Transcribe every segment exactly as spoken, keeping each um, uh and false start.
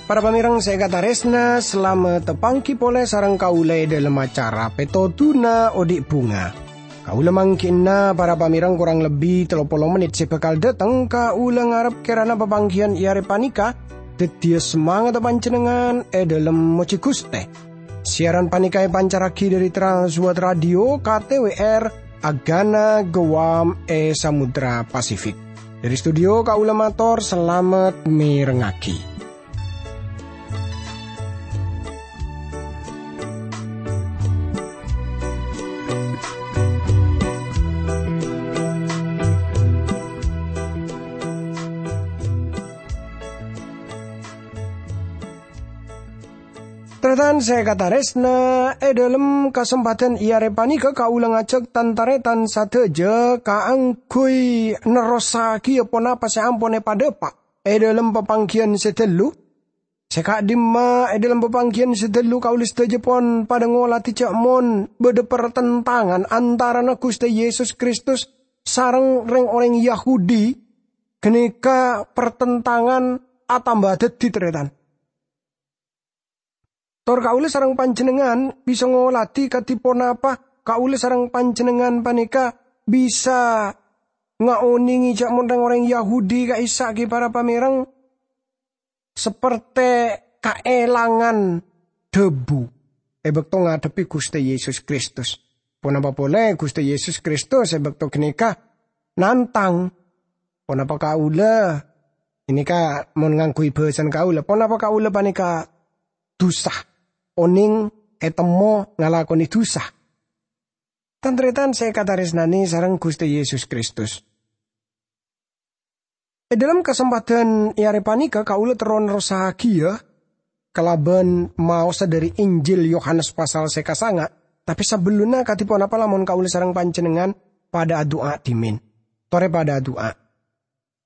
Para pamèrèng sè èkatarèsna, salamet tapangghi polè sareng kaulâ è dhâlem acara Pètodhuna Odi' Bhunga. Kaulâ mangghi'na para pamèrèng korang lebbi tello polo mennit sè bhâkal dhâteng, kaulâ ngarep kèrana papangghiyân è arè panèka dhâddhiyâ samangatta panjhennengngan è dhâlem mojhi Ghustè. Siyaran panèka èpancarraghi dhâri Trans World Radio, K T W R, Agana Guam è Samudra Pasifik. Dhâri studio kaulâ mator salamet mèrengngaghi. Tarètan sè èkatarèsna, è dhâlem kasempadhân è arè panèka kaulâ ngajhâk tan-tarètan sadhâjâ kaangghuy nerrossaghiyâ ponapa sè ampon èpadhâpa' è dhâlem papangghiyân sè ghâllu. Sè ka'dimma è dhâlem papangghiyân sè ghâllu kaulâ sadhâjâ pon padhâ ngolatè jhâ' mon bâdâ partentangan antarana Ghustè Yesus Kristus sareng rèng-orèng Yahudi, ghânèka partentangan atamba dhâddhi, tarètan. Tor kaulâ sareng panjhennengngan bisa ngolatè kadhi ponapa kaulâ sareng panjhennengngan panèka bisa ngaonèngè jhâ' mon rèng-orèng Yahudi ka'issa' ghi' para pamèrèng sapertè kaèlangan dhâbu è bâkto ngadhebbhi Ghustè Yesus Kristus. Ponapa polè Ghustè Yesus Kristus è bâkto ghânèka nantang. Ponapa kaulâ, ghânèka mon ngangghuy bhâsana kaulâ, ponapa kaulâ panèka dhusa, onèng ètemmo ngalakonè dhusa? Tan-tarètan sè èkatarèsnanè sareng Ghustè Yesus Kristus. È dhâlem kasempadhân è arè panèka kaulâ terro nerrossaghiyâ kalabân maosa dhâri Injil Yohanes pasal sè kasanga', tapè sabellunna kadhi ponapa lamon kaulâ sareng panjhennengngan padhâ adu'a dhimèn. Torè padhâ adu'a.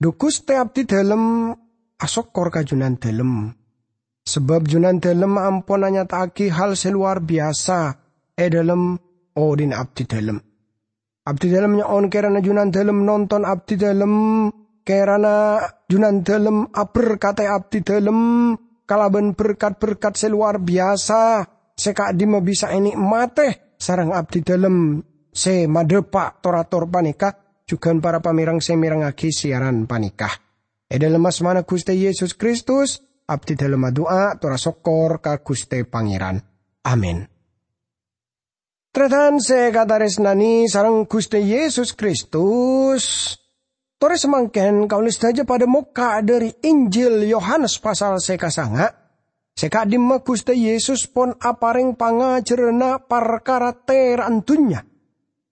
Dhu Ghustè abdhidhâlem asokkor ka Junandhâlem. Sabâb Junandhâlem ampon anyata'aghi hal sè lowar biyasa è dhâlem odhi'na abdhidhâlem. Abdhidhâlem nyo'on kèrana Junandhâlem nonton abdhidhâlem, kèrana Junandhâlem aberkadhi abdhidhâlem kalabân berkat-berkat sè lowar biyasa sè ka'dimma bisa ènè'matè sareng abdhidhâlem sè madhâpa' tor-ator panèka, jhughân para pamèrèng sè mèrengngaghi siyaran panèka. È dhâlem asmana Ghustè Yesus Kristus, abdhidhâlem adu'a tor asokkor ka Ghustè Pangèran. Amin. Tarètan sè èkatarèsnanè sareng Ghustè Yesus Kristus, torè samangkèn kaulâ sadhâjâ padhâ mokka' dhâri Injil Yohanes pasal sè kasanga', sè ka'dimma Ghustè Yesus pon aparèng pangajhârânna parkara tèra'an dhunnya.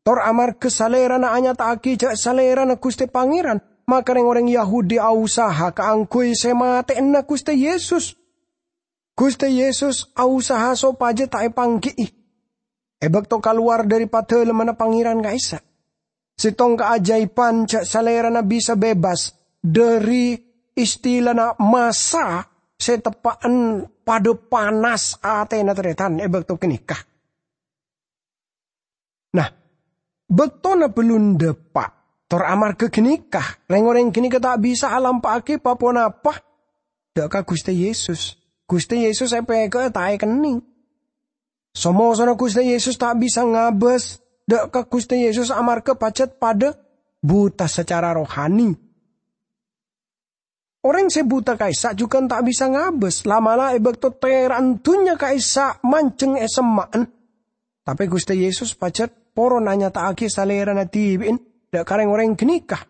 Tor amarghâ Salèrana anyata'aghi jhâ' Salèrana Ghustè Pangèran, maka rèng-orèng Yahudi ausaha kaangghuy sè matè'ana Ghustè Yesus. Ghustè Yesus ausaha sopajâ ta' èpangghi'i è bâkto kalowar dhâri Padalemmanna Pangèran ka'issa'. Sèttong kaajâibhân jhâ' Salèrana bisa bebas dhâri istilana massa sè teppa'en padâ panas atèna tarètan è bâkto ghânèka. Nah, bâktona bellun dâpa', tor amarghâ ghânèka, rèng-orèng ghânèka ta' bisa alampa'aghi pa-ponapa dâ' ka Ghustè Yesus. Ghustè Yesus èpèghâ'â ta' èkennèng. So-mosona Ghustè Yesus ta' bisa ngabâs dâ' ka Ghustè Yesus amarghâ pajhât padâ buta sacara rohani. Orèng sè buta ka'issa' jhughân ta' bisa ngabâs, la'-mala' è bâkto tèra'an dhunnya ka'issa' manjheng è semma'en. Tapè Ghustè Yesus pajhât poron anyata'aghi Salèrana dhibi'en dâ' ka rèng-orèng ghânèka,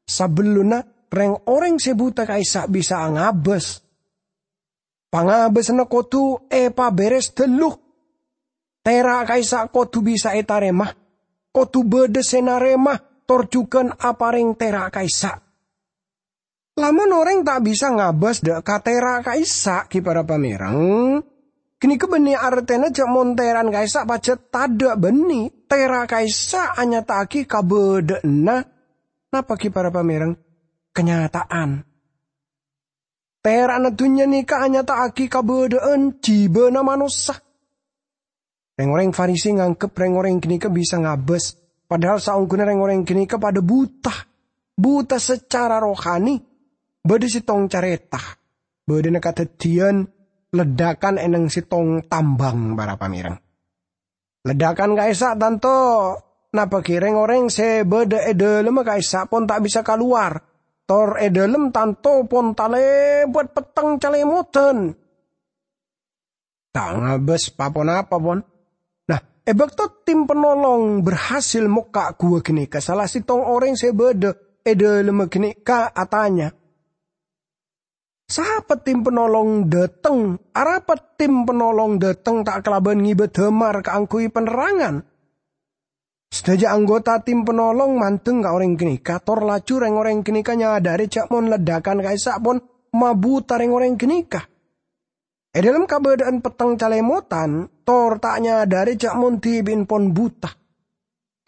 sabellunna rèng-orèng sè buta ka'issa' bisa ngabâs. Pangabâsanna kodhu èpabèrès ghâllu. Tèra' ka'issa' kodhu bisa ètarèma, kodhu bâdâ sè narèma, tor jhughân aparèng tèra' ka'issa'. Lamon orèng ta' bisa ngabâs dâ' ka tèra' ka'issa' ghi para pamèrèng, ghânèka bânnè artèna jhâ' mon tèra'an ka'issa' pajhât tadâ' bânnè. Tèra' ka'issa' anyata'aghi kabâdâ'ânna napa ghi para pamèrèng? Kanyata'an. Tera'na dunnya nèka anyata'aghi kabâdâ'ân jibâna manossa. Rèng-orèng Farisi nganggep rèng-orèng ghânèka bisa ngabâs, padahal saongghuna rèng-orèng ghânèka padâ buta. Buta sacara rohani, bâdâ sèttong carèta. Bâdâna kadhâddhiyân leddhâkân è nèng sèttong tambhâng, para pamèrèng. Leddhâkân ka'issa' tanto nabâghi rèng-orèng sè bâdâ è dâlemma ka'issa' pon ta' bisa kalowar, tor è dâlem tanto pon talèbât petteng calèmodhân. Ta' ngabâs pa-ponapa, pon. Nah, è bâkto tim panolong berhasil mokka' ghuwâ ghânèka, sala sèttong orèng sè bâdâ è dâlemma ghânèka atanya, "Sapa tim panolong dâteng? Arapa tim panolong dâteng ta' kalabân ngibâ dâmar kaangghuy panerrangan?" Sadhâjâ anggota tim panolong mandeng ka orèng ghânèka, tor laju rèng-orèng ghânèka nyadhâri jâ' mon leddhâkân ka'issa' pon mabuta rèng-orèng ghânèka. È dâlem kabâdâ'ân petteng calèmodhân, tor ta' nyadhâri jâ' mon dhibi'en pon buta.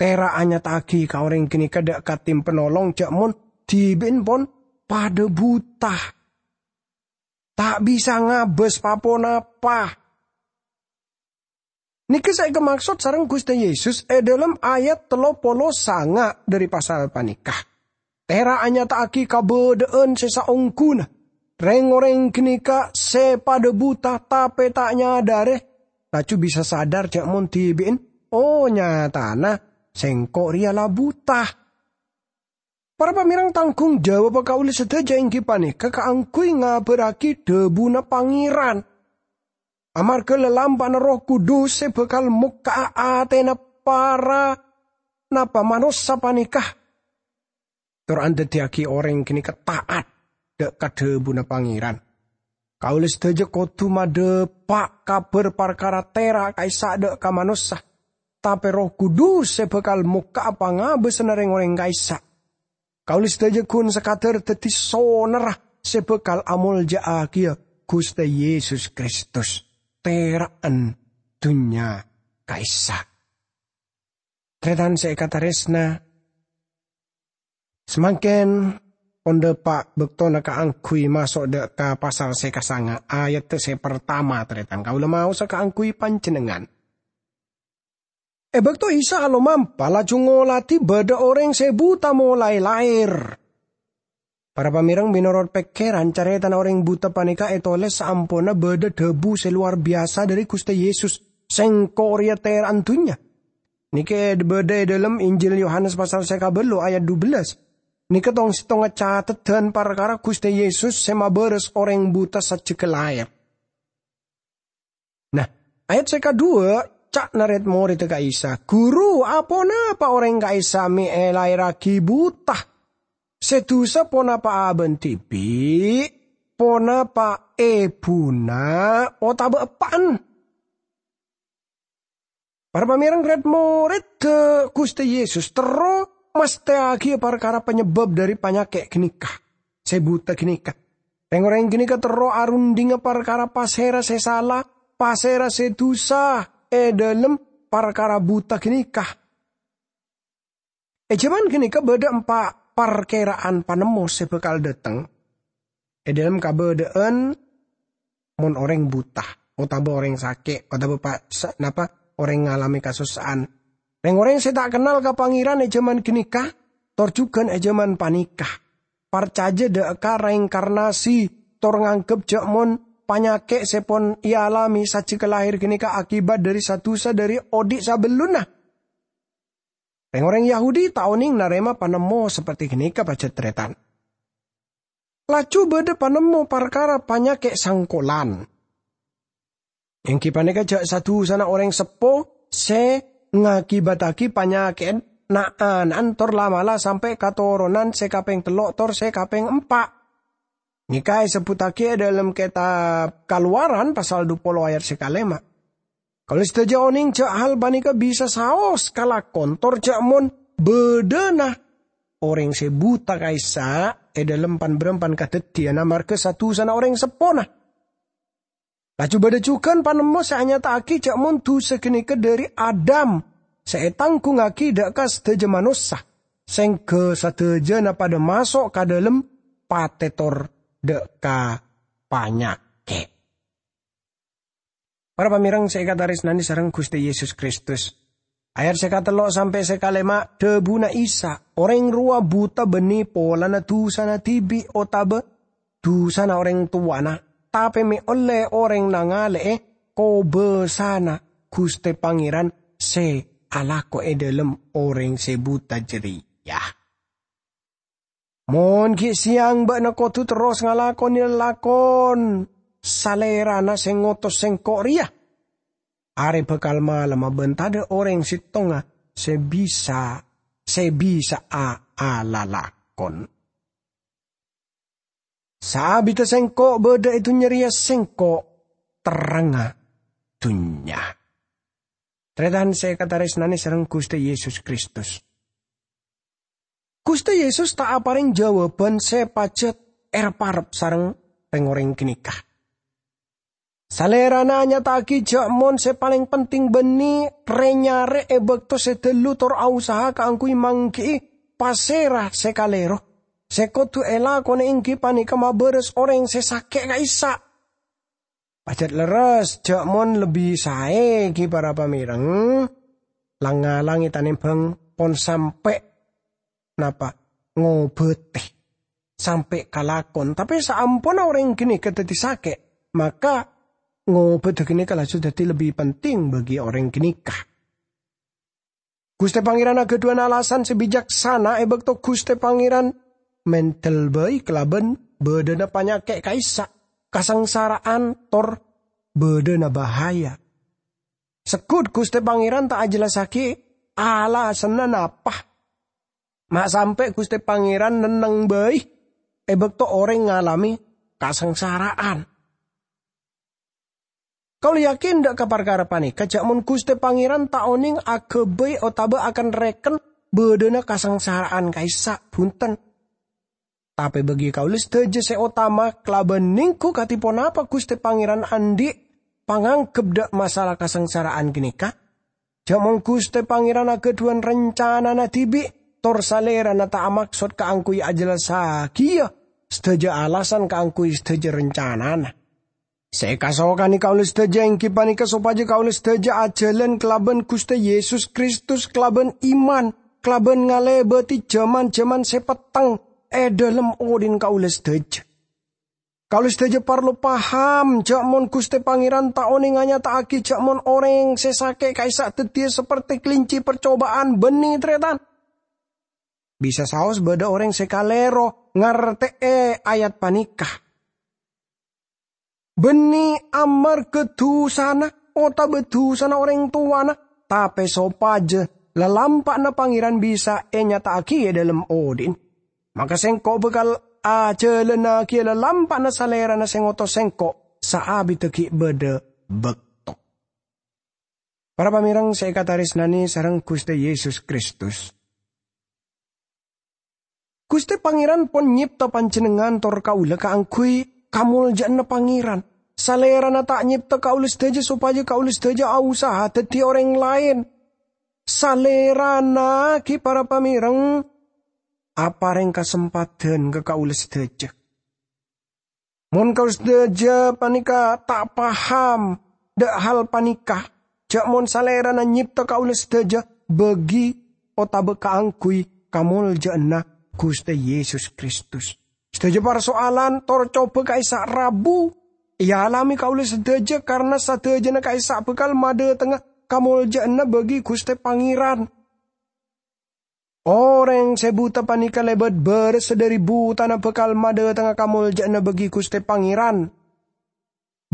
Tèra' anyata'aghi ka orèng ghânèka dâ' ka tim panolong jâ' mon dhibi'en pon padâ buta. Ta' bisa ngabâs pa-ponapa. Nèka sè èkamaksod sareng Ghustè Yesus è dâlem ayat tello polo sanga' dhâri pasal panèka. Tèra' anyata'aghi kabâdâ'ân sè saongghuna. Rèng-orèng ghânèka sè padâ buta tapè ta' nyadhâri, laju bisa sadar jâ' mon dhibi'en, "Oh, nyatana sèngko' rèya la buta." Para pamèrèng, tangghung jawabba kaulâ sadhâjâ èngghi panèka kaangghuy ngabârraghi dhâbuna Pangèran. Amarghâ lalampa'na Erroh Kudus sè bhâkal mokka'a atèna para napa manossa panèka, tor andaddiyâghi orèng ghânèka ta'at dâ' ka dhâbuna Pangèran. Kaulâ sadhâjâ kodhu madhâpa' kabhâr parkara tèra' ka'issa' dâ' ka manossa, tapè Erroh Kudus sè bhâkal mokka'a pangabâsanna rèng-orèng ka'issa'. Kaulâ sadhâjâ ghun sakadhâr dhâddhi sonerra sè bhâkal amolja'aghiyâ Ghustè Yesus Kristus, tèra'an dhunnya ka'issa'. Tarètan sè èkatarèsna, samangkèn pon dhâpa' bâktona kaangghuy maso' dâ' ka pasal sè kasanga, ayat sè partama, tarètan. Kaulâ maosa kaangghuy panjhennengngan. È bâkto Isa alomampa, laju ngoladhi bâdâ orèng sè buta molaè laèr. Para pamèrèng, mènorot pèkkèran, carètana orèng buta panèka ètolès saamponna bâdâ dhâbu sè lowar biyasa dhâri Ghustè Yesus, "Sèngko' rèya tèra'an dhunnya." Nèka è-, bâdâ è dâlem Injil Yohanes pasal sè kabâllu ayat dubellâs. Nèka tong-sèttongnga cateddhân parkara Ghustè Yesus sè mabârâs orèng buta sajjhegghâ laèr. Nah, ayat sè kadhuwâ, ca'na rèd-morèdda ka Isa, "Ghuru, aponapa orèng ka'issa' mè' èlaèrraghi buta? Sè dusa ponapa abâ'na dhibi', ponapa ebhuna, otabâ eppa'na?" Para pamèrèng, rèd-morèdda Ghustè Yesus terro mastèyaghi parkara panyebâb dhâri panyakè' ghânèka, sè buta ghânèka. Rèng-orèng ghânèka terro arundhingnga parkara pasèra sè sala, pasèra sè dusa è dâlem parkara buta ghânèka. È jhâman ghânèka bâdâ empa' parkèra'an panemmo sè bhâkal dâteng è dâlem kabâdâ'ân mon orèng buta, otabâ orèng sakè', otabâ pa-, sa-, napa, orèng ngalamè kasossa'an. Rèng-orèng sè ta' kennal ka Pangèran è jhâman ghânèka, tor jhughân è jhâman panèka, parcajâ dâ' ka reinkarnasi, tor nganggep jâ' mon panyakè' sè pon èalamè sajjhegghâ laèr ghânèka akibat dhâri sa-dusa dhâri odi' sabellunna. Rèng-orèng Yahudi ta' onèng narèma panemmo saperti ghânèka, pajhât tarètan. Laju bâdâ panemmo parkara panyakè' sangkolan. Èngghi panèka jâ' sa-dusana orèng seppo sè ngakibattaghi panyakè'an na'-ana'an tor la'-mala' sampè' ka toronan sè kapèng tello' tor sè kapèng empa'. Nèka èsebbhuttaghi è dâlem kètab Kalowaran pasal dupolo ayat sè kalèma'. Kaulâ sadhâjâ onèng jâ' hal panèka bisa saos kalakon, tor jâ' mon bâdâna orèng sè buta ka'issa' è dâlem pan-bârâmpan kadhâddhiyân amarghâ sa-dusana orèng seppona. Laju bâdâ jhughân panemmo sè anyata'aghi jâ' mon dusa ghânèka dhâri Adam sè ètangghungngaghi dâ' ka sadhâjâ manossa, sèngghâ sadhâjâna padâ maso' ka dâlem patè tor dâ' ka panyakè'. Para pamèrèng sè èkatarèsnanè sareng Ghustè Yesus Kristus, ayat sè katello' sampè' sè kalèma' dhâbuna Isa, orèng rowa buta bânnè polana dusana dhibi' otabâ dusana orèng towana, tapè mè' ollè orèng nangalè'è kobâsana Ghustè Pangèran sè alako è dhâlem orèng sè buta jârèya. Mon ghi' sèyang bâ'na kodhu terros ngalakonè lalakon Salèrana sè ngotos sèngko' rèya, arè bhâkal malemma bân tadâ' orèng settonga sè bisa, sè bisa'a alalakon. Saabiddhâ sèngko' bâdâ è dhunnya rèya, sèngko' terrangnga dhunnya. Tarètan sè èkatarèsnanè sareng Ghustè Yesus Kristus. Ghustè Yesus ta' aparèng jâwâbhân sè pajhât èrep-arep sareng rèng-orèng ghânèka. Salèrana anyata'aghi jâ' mon sè palèng penting bânnè rè-nyarè è bâkto sè dâllu tor ausaha kaangghuy mangghi'i pasèra sè kalèro. Sè kodhu èlakonè èngghi panèka mabârâs orèng sè sakè' ka'issa'. Pajhât lerres jâ' mon lebbi saè ghi' para pamèrèng, lang-ngalangè tanèmbhâng pon sampè' napa, ngobâtè, sampè' kalakon. Tapè saamponna orèng ghânèka dhâddhi sakè', maka ngobâdhâ ghânèka laju dhâddhi lebbi penting bagi orèng ghânèka. Ghustè Pangèran aghâdhuwân alasan sè bicaksana è bâkto Ghustè Pangèran mèndhâl bhâi kalabân bâdâna panyakè' ka'issa', kasangsara'an, tor bâdâna bahaya. Segghut Ghustè Pangèran ta' ajhellassaghi alasanna napa ma' sampè' Ghustè Pangèran nenneng bhâi è bâkto orèng ngalamè kasangsara'an. Kaulâ yakin dâ' ka parkara panèka, jâ' mon Ghustè Pangèran ta' onèng aghâbây otabâ aken-rèken bâdâna kasangsara'an ka'issa', bhunten. Tapè bagi kaulâ sadhâjâ sè otama, kalabân nèngghu kadhi ponapa Ghustè Pangèran andi' pangangghep dâ' masalah kasangsara'an ghânèka? Jâ' mon Ghustè Pangèran aghâdhuwân rencanana dhibi', tor Salèrana ta' amaksod kaangghuy ajhellassaghiyâ sadhâjâ alasan kaangghuy sadhâjâ rencanana. Sè èkasokanè kaulâ sadhâjâ èngghi panèka sopajâ kaulâ sadhâjâ ajhâlân kalabân Ghustè Yesus Kristus kalabân iman, kalabân ngalèbâdhi jhâman-jhâman sè petteng è dhâlem odhi'na kaulâ sadhâjâ. Kaulâ sadhâjâ parlo paham jâ' mon Ghustè Pangèran ta' onèng anyata'aghi jâ' mon orèng sè sakè' ka'issa' dhâddhiyâ saperti kelinci parcobâ'ân, bânnè, tarètan. Bisa saos bâdâ orèng sè kalèro ngartè'è ayat panèka. Bânnè amarghâ dhusana otabâ dhusana orèng towana, tapè sopajâ lalampa'na Pangèran bisa ènyata'aghi è dhâlem odhi'na. Maka sèngko' bhâkal ajhâlânnaghi lalampa'na Salèrana sè ngotos sèngko' saabiddhâ ghi' bâdâ bâkto. Para pamèrèng sè èkatarèsnanè sareng Ghustè Yesus Kristus. Ghustè Pangèran pon nyèpta panjhennengngan tor kaulâ kaangghuy kamoljâ'ânna Pangèran. Salèrana ta' nyèpta kaulâ sadhâjâ sopajâ kaulâ sadhâjâ ausaha dhâddhi orèng laèn. Salèrana ghi' para pamèrèng aparèng kasempadhân ka kaulâ sadhâjâ. Mon kaulâ sadhâjâ panèka ta' paham dâ' hal panèka, jâ' mon Salèrana nyèpta kaulâ sadhâjâ bâgi otabâ kaangghuy kamoljâ'ânna Ghustè Yesus Kristus. Sadhâjâ parsoalan tor cobâ ka'issa' rabu èalamè kaulâ sadhâjâ, karna sadhâjâna ka'issa' bhâkal madhâtengnga kamoljâ'ânna bâgi Ghustè Pangèran. Orèng sè buta panèka lèbât bârâssa dhâri butana bhâkal madhâtengnga kamoljâ'ânna bâgi Ghustè Pangèran.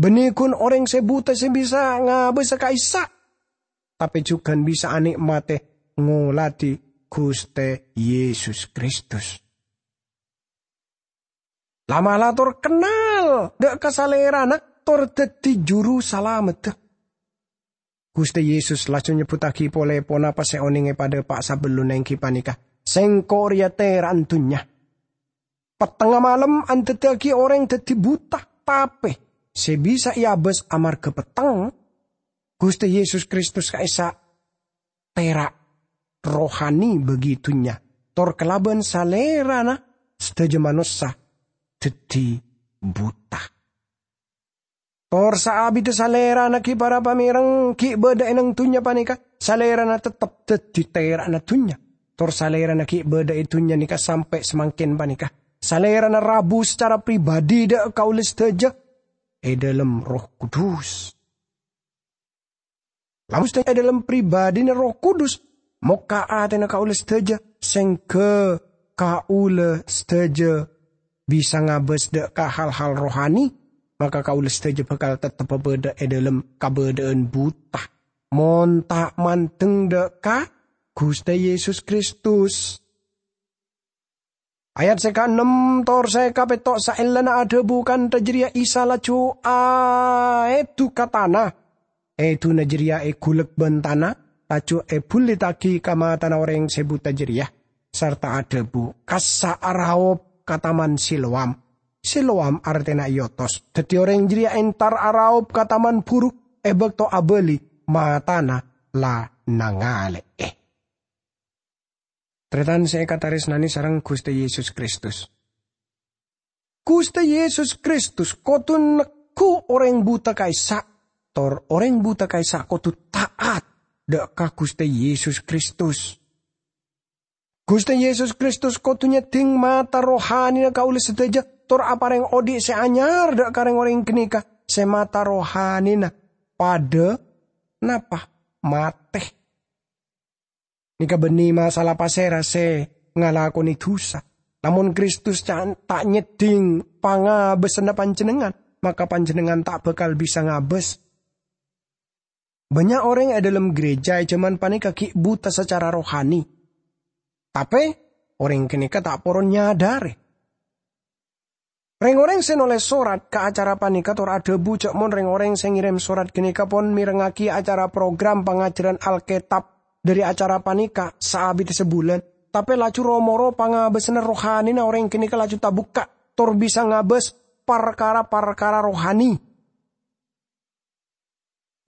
Bânnè ghun orèng sè buta sè bisa ngabâsa ka'issa', tapè jhughân bisa anè'matè ngoladhi Ghustè Yesus Kristus. La'-mala' tor kennal dâ' ka Salèrana tor dhâddhi Juru Salameddhâ. Ghustè Yesus laju nyebbhuttaghi polè ponapa sè onèng èpadhâpa' sabellunna èngghi panèka, "Sèngko' rèya tèra'an dhunnya. Pettengnga malem andhâddhiyâghi orèng dhâddhi buta, tapè sè bisa èabâs amarghâ petteng." Ghustè Yesus Kristus ka'issa' tèra' rohani bâgi dhunnya, tor kalabân Salèrana sadhâjâ manossa dhâddhi buta. Tor saabidda Salèrana ghi' para pamèreng ghi' bâdâ è neng dhunnya panèka, Salèrana teptep dhâddhi tèra'na dhunnya. Tor Salèrana ghi' bâdâ è dhunnya nèka sampè' samangkèn panèka. Salèrana rabu sacara pribadi dâ' kaulâ sadhâjâ è dâlem Erroh Kudus. Lamun sadhâjâ è dâlem pribadina Erroh Kudus, mokka' atèna kaulâ sadhâjâ, sèngghâ kaulâ sadhâjâ bisa ngabâs dâ' ka hal-hal rohani, maka kaulâ sadhâjâ bhâkal teptep bâdâ è dâlem kabâdâ'ân buta, mon ta' mandeng dâ' ka Ghustè Yesus Kristus. Ayat sè kaennem tor sè kapètto', saellana adhâbu kantha jârèya Isa laju aèdu ka tana. Èduna jârèya èghulek bân tana, laju èbhullittaghi ka matana orèng sè buta jârèya, sarta adhâbu, "Kassa' araop ka Taman Siloam." Siloam artèna èotos. Dhâddhi orèng jârèya entar araop ka taman buru, è bâkto abâli, matana la nangalè'è. Tarètan sè èkatarèsnanè sareng Ghustè Yesus Kristus. Ghustè Yesus Kristus kodhu neggu' orèng buta ka'issa', tor orèng buta ka'issa' kodhu ta'at dâ' ka Ghustè Yesus Kristus. Ghustè Yesus Kristus kodhu nyèddhing mata rohanina kaulâ sadhâjâ, tor aparèng odi' sè anyar dâ' ka rèng-orèng ghânèka sè mata rohanina padâ napa? Matè. Nèka bânnè masalah pasèra sè ngalakonè dhusa. Lamon Kristus ca-, ta' nyèddhing pangabâsânna panjhennengngan, maka panjhennengngan ta' bhâkal bisa ngabâs. Bânnya' orèng è dâlem ghârèjâ è jhâman panèka ghi' buta sacara rohani. Tapè, orèng ghânèka ta' poron nyadhârè. Rèng-orèng sè nolès sorat ka acara panèka tor adhâbu jâ' mon rèng-orèng sè ngèrèm sorat ghânèka pon mèrengngaghi acara program pangajhârân Alkètab dhâri acara panèka saabidda sabulân, tapè laju ro-moro pangabâsânna rohanina orèng ghânèka laju tabukka' tor bisa ngabâs parkara-parkara rohani.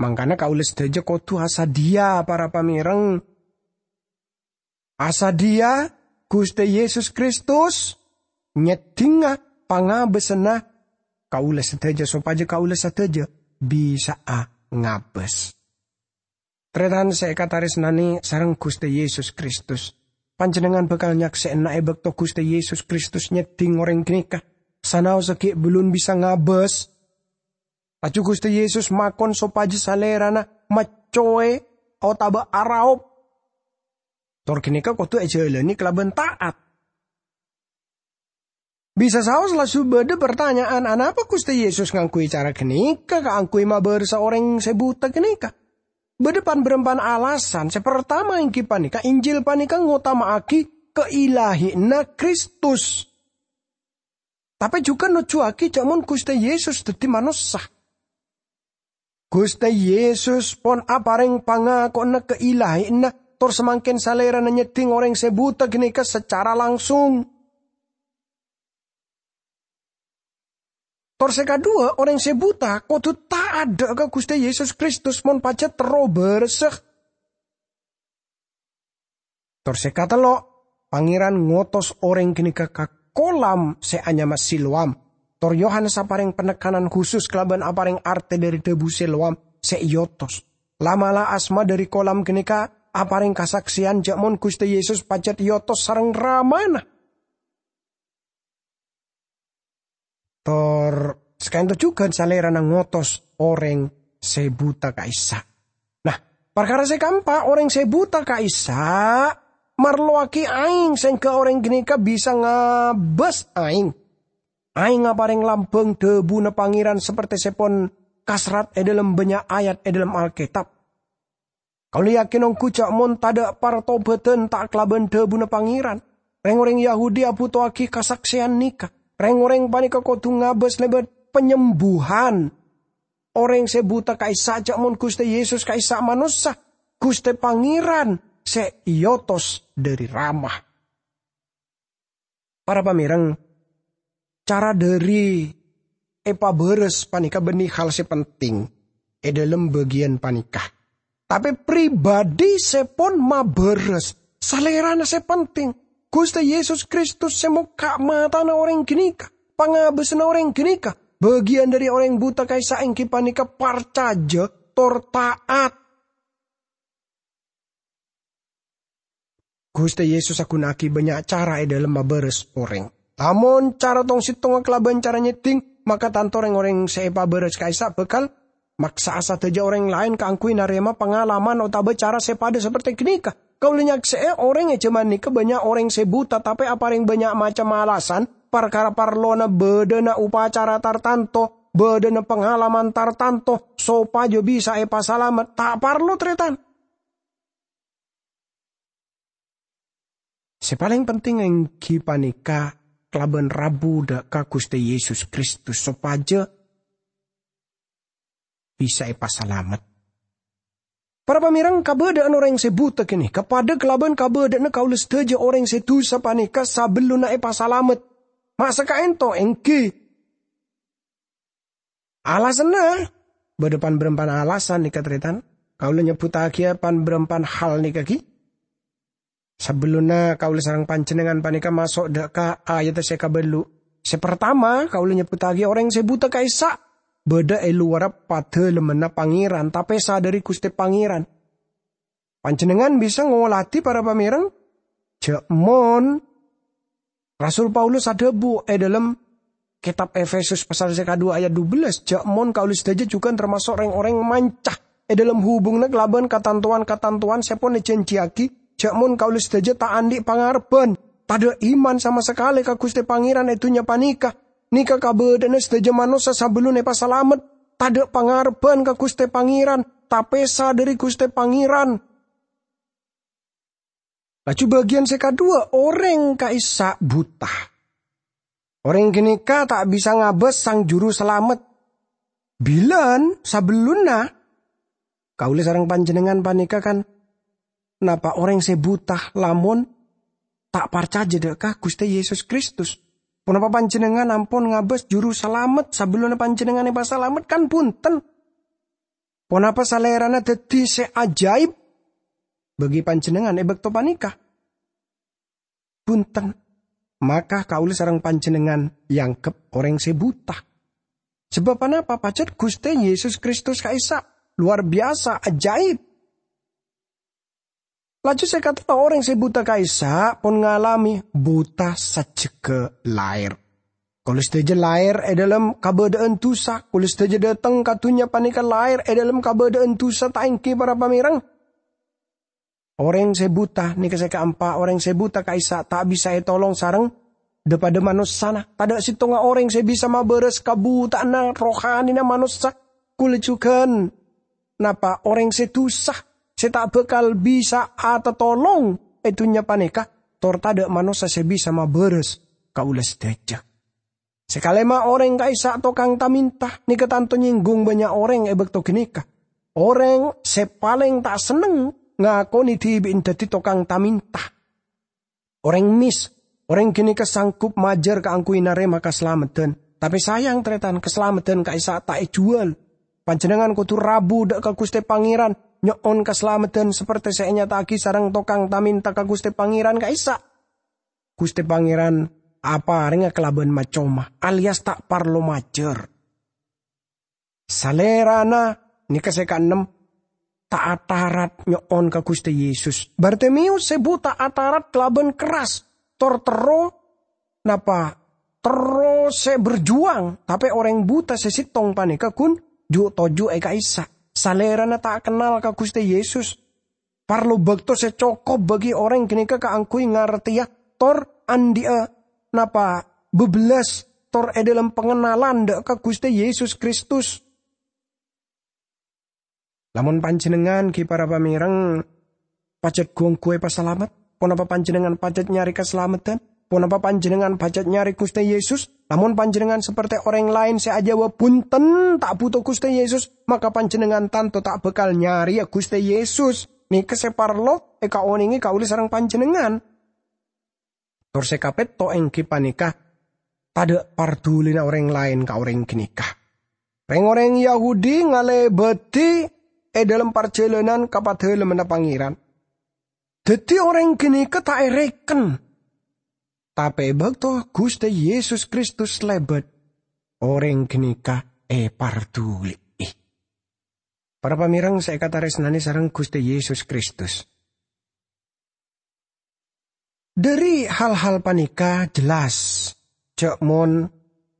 Mangkana kaulâ sadhâjâ kodhu asadhiyâ, para pamèreng. Asadhiyâ Ghustè Yesus Kristus nyèddhingnga pangabâsânna kaulâ sadhâjâ, sopajâ kaulâ sadhâjâ bisa'a ngabâs. Tarètan sè èkatarèsnanè sareng Ghustè Yesus Kristus, panjhennengngan bhâkal nyaksè'ana è bâkto Ghustè Yesus Kristus nyèddhing orèng ghânèka, sanaossa ghi' bellun bisa ngabâs. Laju Ghustè Yesus makon sopajâ Salèrana maccowè otabâ araop. Tor ghânèka kodhu èjhâlânè kalabân ta'at. Bisa saos laju bâdâ partanya'an, "Anapa Ghustè Yesus ngangghuy cara ghânèka kaangghuy mabârâsa orèng sè buta ghânèka?" Bâdâ pan-bârâmpan alasan. Sè partama èngghi panèka, Injil panèka ngotama'aghi kailahiyanna Kristus. Tapè jhughân nojjhuwaghi jâ' mon Ghustè Yesus dhâddhi manossa. Ghustè Yesus pon aparèng pangakowanna kailahiyanna, tor samangkèn Salèrana nyèddhing orèng sè buta ghânèka sacara langsung. Tor sè kaduwâ, orèng sè buta kodhu ta'at dâ' ka Ghustè Yesus Kristus mon pajhât terro bârâsa. Tor sè katello', Pangèran ngotos orèng ghânèka ka kolam sè anyama Siloam. Tor Yohanes aparèng panekanan khusus kalabân aparèng artè dhâri dhâbu Siloam sè èotos. La'-mala' asma dhâri kolam ghânèka aparèng kasaksèyan jâ' mon Ghustè Yesus pajhât èotos sareng Ramana. Tor saka'dinto jhughân Salèrana ngotos orèng sè buta ka'issa'. Nah, parkara sè kaempa', orèng sè buta ka'issa' marlowaghi aèng sehingga orèng ghânèka bisa ngabâs aèng. Aèng aparèng lambâng dhâbuna Pangèran saperte sè pon kaserrat è dâlem bânnya' ayat è dâlem Alkètab. Kaulâ yakin ongghu jâ' mon tadâ' partobhâdhân ta' kalabân dhâbuna Pangèran. Rèng-orèng Yahudi abhuto'aghi kasaksèyan nèka. Rèng-orèng panèka kodhu ngabâs lèbât panyembuhan orèng sè buta ka'issa' jâ' mon Ghustè Yesus ka'issa' manossa, Ghustè Pangèran sè èotos dhâri Rama. Para pamèreng, cara dhâri èpabârâs panèka bânnè hal sè penting è dâlem bâgiyân panèka. Tapè pribadi sè pon mabârâs, Salèrana sè penting. Ghustè Yesus Kristus sè mokka' matana orèng ghânèka, pangabâsanna orèng ghânèka, Bâgiyân dhâri orèng buta ka'issa' èngghi panèka parcajâ tor ta'at. Ghustè Yesus aghuna'aghi bânnya' cara è dhâlem mabârâs orèng. Lamon cara tong-settongnga kalabân cara nyèddhing, maka tanto rèng-orèng sè èpabârâs ka'issa' bhâkal maksa'a sadhâjâ orèng laèn kaangghuy narèma pangalaman otabâ cara sè padâ sapertè ghânèka. Kaulâ nyaksè'è orèng è jhâman nèka bânnya' orèng sè buta, tapè aparèng bânnya' macem alasan, parkara parlona bâdâna upacara tartanto, bâdâna pangalaman tartanto, sopajâ bisa èpasalamet. Ta' parlo, tarètan. Sè palèng penting èngghi panèka kalabân rabu dâ' ka Ghustè Yesus Kristus sopajâ bisa èpasalamet. Para pamèreng, kabâdâ'ân orèng sè buta ghânèka padâ kalabân kabâdâ'ânna kaulâ sadhâjâ orèng sè dusa panèka sabellunna èpasalamet. Ma' sakaènto èngghi. Alasanna, bâdâ pan-bârâmpan alasan nèka, tarètan. Kaulâ nyebbhuttaghiyâ pan-bârâmpan hal nèka ghi. Sabellunna kaulâ sareng panjhennengngan panèka maso' dâ' ka ayadda sè kabâllu'. Sè partama, kaulâ nyebbhuttaghi orèng sè buta ka'issa' bâdâ è lowarra padâlemmanna Pangèran, tapèsa dhâri Ghustè Pangèran. Panjhennengngan bisa ngolatè para pamèreng, jhâ' mon Rasul Paulus adhâbu è dhâlem Kètab Efesus pasal sè kadhuwâ ayat dubellâs, jhâ' mon kaulâ sadhâjâ jhughân tamaso' rèng-orèng manca è dhâlem hubunganna kalabân katantowan-katantowan sè pon èjhânjhiyaghi, jhâ' mon kaulâ sadhâjâ ta' andi' pangarebbhân, tadâ' iman sama sakalè ka Ghustè Pangèran è dhunnya panèka. Nèka kabâdâ'ânna sadhâjâ manossa sabellunna èpasalamet, tadâ' pangarebbhân ka Ghustè Pangèran, tapèsa dhâri Ghustè Pangèran. Laju bâgiyân sè kadhuwâ, orèng ka'issa' buta. Orèng ghânèka ta' bisa ngabâs Sang Juru Salamet. Bilân sabellunna, kaulâ sareng panjhennengngan panèka kan napa' orèng sè buta lamon ta' parcajâ dâ' ka Ghustè Yesus Kristus. Ponapa panjhennengngan ampon ngabâs Juru Salamet sabellunna panjhennengngan èpasalamet? Kan bhunten. Ponapa Salèrana dhâddhi sè ajaib bagi panjhennengngan è bâkto panèka? Bhunten, maka kaulâ sareng panjhennengngan èangghep orèng sè buta. Sabâb ponapa? Pajhât Ghustè Yesus Kristus ka'issa' lowar biyasa, ajaib. Laju sè katello, orèng sè buta ka'issa' pon ngalamè buta sajjhegghâ laèr. Kaulâ sadhâjâ laèr è dhâlem kabâdâ'ân dusa. Kaulâ sadhâjâ dâteng ka dhunnya panèka laèr è dhâlem kabâdâ'ân dusa, ta' èngghi para pamèreng? Orèng sè buta, nèka sè kaempa', orèng sè buta ka'issa' ta' bisa ètolong sareng dhâ-padhâ manossana. Tadâ' sèttonga orèng sè bisa mabârâs kabuta'anna rohanina manossa. Kaulâ jhughân napa' orèng sè dusa, sè ta' bhâkal bisa atatolong è dhunnya panèka, tor tadâ' manossa sè bisa mabârâs kaulâ sadhâjâ. Sè kalèma, orèng ka'issa' tokang ta-mènta. Nèka tanto nyèngghung bânnya' orèng è bâkto ghânèka. Orèng sè palèng ta' senneng ngakonè dhibi'na dhâddhi tokang ta-mènta. Orèng mès, orèng ghânèka sanggup majâr kaangghuy narèma kasalameddhân. Tapè sayang, tarètan, kasalameddhân ka'issa' ta' èjhuwâl. Panjhennengngan kodhu rabu dâ' ka Ghustè Pangèran, nyo'on kasalameddhân sapertè sè ènyata'aghi sareng tokang ta-mènta ka Ghustè Pangèran ka'issa'. Ghustè Pangèran aparèngnga kalabân ma-coma, alias ta' parlo majâr. Salèrana, nèka sè kaennem, ta' atarat nyo'on ka Ghustè Yesus. Bartimeyus sè buta atarat kalabân kerras, tor terro, napa, terro sè berjuang, tapè orèng buta sè sèttong panèka ghun ju'-toju' è ka'issa'. Salèrana ta' kennal ka Ghustè Yesus. Parlo bâkto sè cokop bagi orèng ghânèka kaangghuy ngartèya tor andi'â napa bâbellâs tor è dhâlem pangennalan dâ' ka Ghustè Yesus Kristus. Lamon panjhennengngan, ghi para pamèreng, pajhât gu-ongghu èpasalamet, ponapa panjhennengngan pajhât nyarè kasalameddhân? Ponapa panjhennengngan pajhât nyarè Ghustè Yesus? Lamon panjhennengngan sapertè orèng laèn sè ajâwâb, "Bhunten, ta' bhuto Ghustè Yesus," maka panjhennengngan tanto ta' bhâkal nyarèya Ghustè Yesus. Nèka sè parlo èkaonèngè kaulâ sareng panjhennengngan. Tor sè kapètto' èngghi panèka, tadâ' pardulina orèng laèn ka orèng ghânèka. Rèng-orèng Yahudi ngalèbâdhi è dhâlem parjhâlânan ka Padalemmanna Pangèran. Dhâddhi orèng ghânèka ta' èrèken. Tapè è bâkto Ghustè Yesus Kristus lèbât, orèng ghânèka èparduli'i. Para pamèreng sè èkatarèsnanè sareng Ghustè Yesus Kristus. Dhâri hal-hal panèka jelas jhâ' mon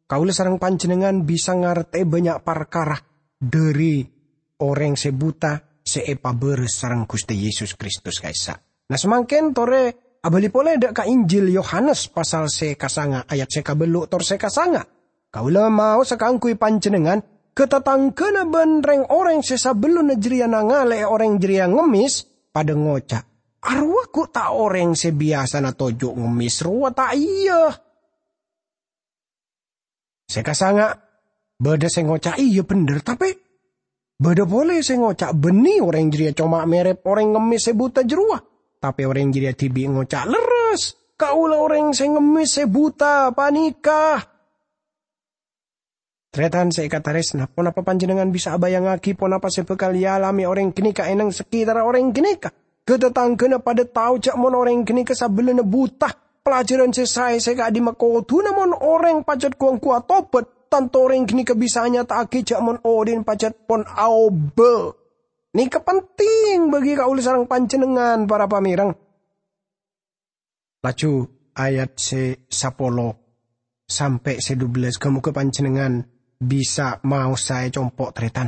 kaulâ sareng panjhennengngan bisa ngartè bânnya' parkara dhâri orèng sè buta sè èpabârâs sareng Ghustè Yesus Kristus ka'issa'. Nah, samangkèn torè abâli polè dhâ' ka Injil Yohanes pasal sè kasanga' ayat sè kabâllu' tor sè kasanga'. Kaulâ maosa kaangghuy panjhennengngan, ka tatangghâna bân rèng-orèng sè sabellunna jârèya nangalè'è orèng jârèya ngemmès, padâ ngoca', "Arowa ghu' ta' orèng sè biyasana toju' ngemmès rowa, ta' iyâ?" Sè kasanga', bâdâ sè ngoca', "Iyâ bhendher," tapè bâdâ polè sè ngoca', "Bânnè orèng jârèya coma mèrep orèng ngemmès sè buta jârowa." Tapè orèng jârèya dhibi' ngoca', "Lerres, kaulâ orèng sè ngemmès sè buta panèka." Tarètan sè èkatarèsna, ponapa panjhennengngan bisa abâjângaghi ponapa sè bhâkal èalamè orèng ghânèka è neng sakètarra orèng ghânèka? Ka-tatangghâna padâ tao jhâ' mon orèng ghânèka sabellunna buta. Pelajaran sè saè sè ka'dimma kodhuna mon orèng pajhât ghu-ongghu atobhât, tanto orèng ghânèka bisa anyata'aghi jhâ' mon odi'na pajhât pon aobâ. Nèka penting bagi kaulâ sareng panjhennengngan, para pamèreng. Laju ayat sè sapolo sampè' sè dubellâs, ghâ-mogâ panjhennengngan bisa maosa è compo' tarètan.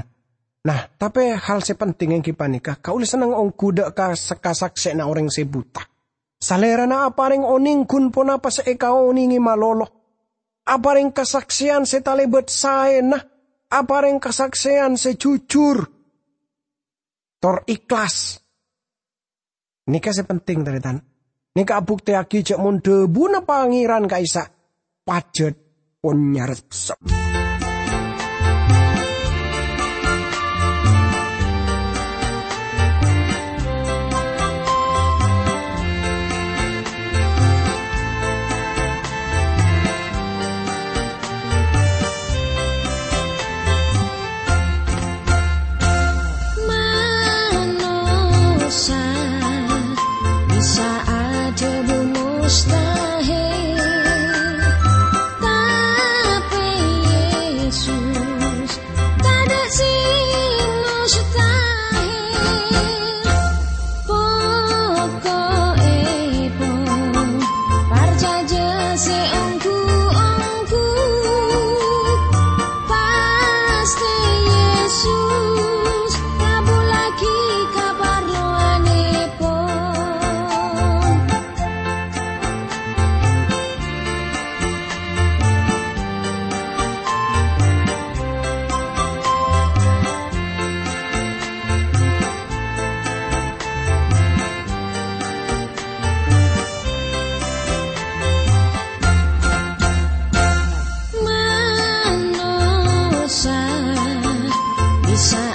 Nah, tapè hal sè penting èngghi panèka, kaulâ senneng ongghu dhâ' ka-, kasaksèyanna orèng sè buta. Salèrana aparèng onèng ghun ponapa sè èkaonèngè malolo. Aparèng kasaksèyan sè talèbât saèna, aparèng kasaksèyan sè jujur, tor ikhlas. Nèka sè penting, tarètan. Nèka abuktèyaghi jhâ' mon dhâbuna Pangèran ka'issa' pajhât pon nyarepsep. Manossa bisa adhâbu mustahil, tapè Yesus tadâ' sè mustahil. Poko'èpon parcajâ sè ongghu-ongghu, pastè Yesus ngabhullaghi kaparlowanèpon. Manossa bisa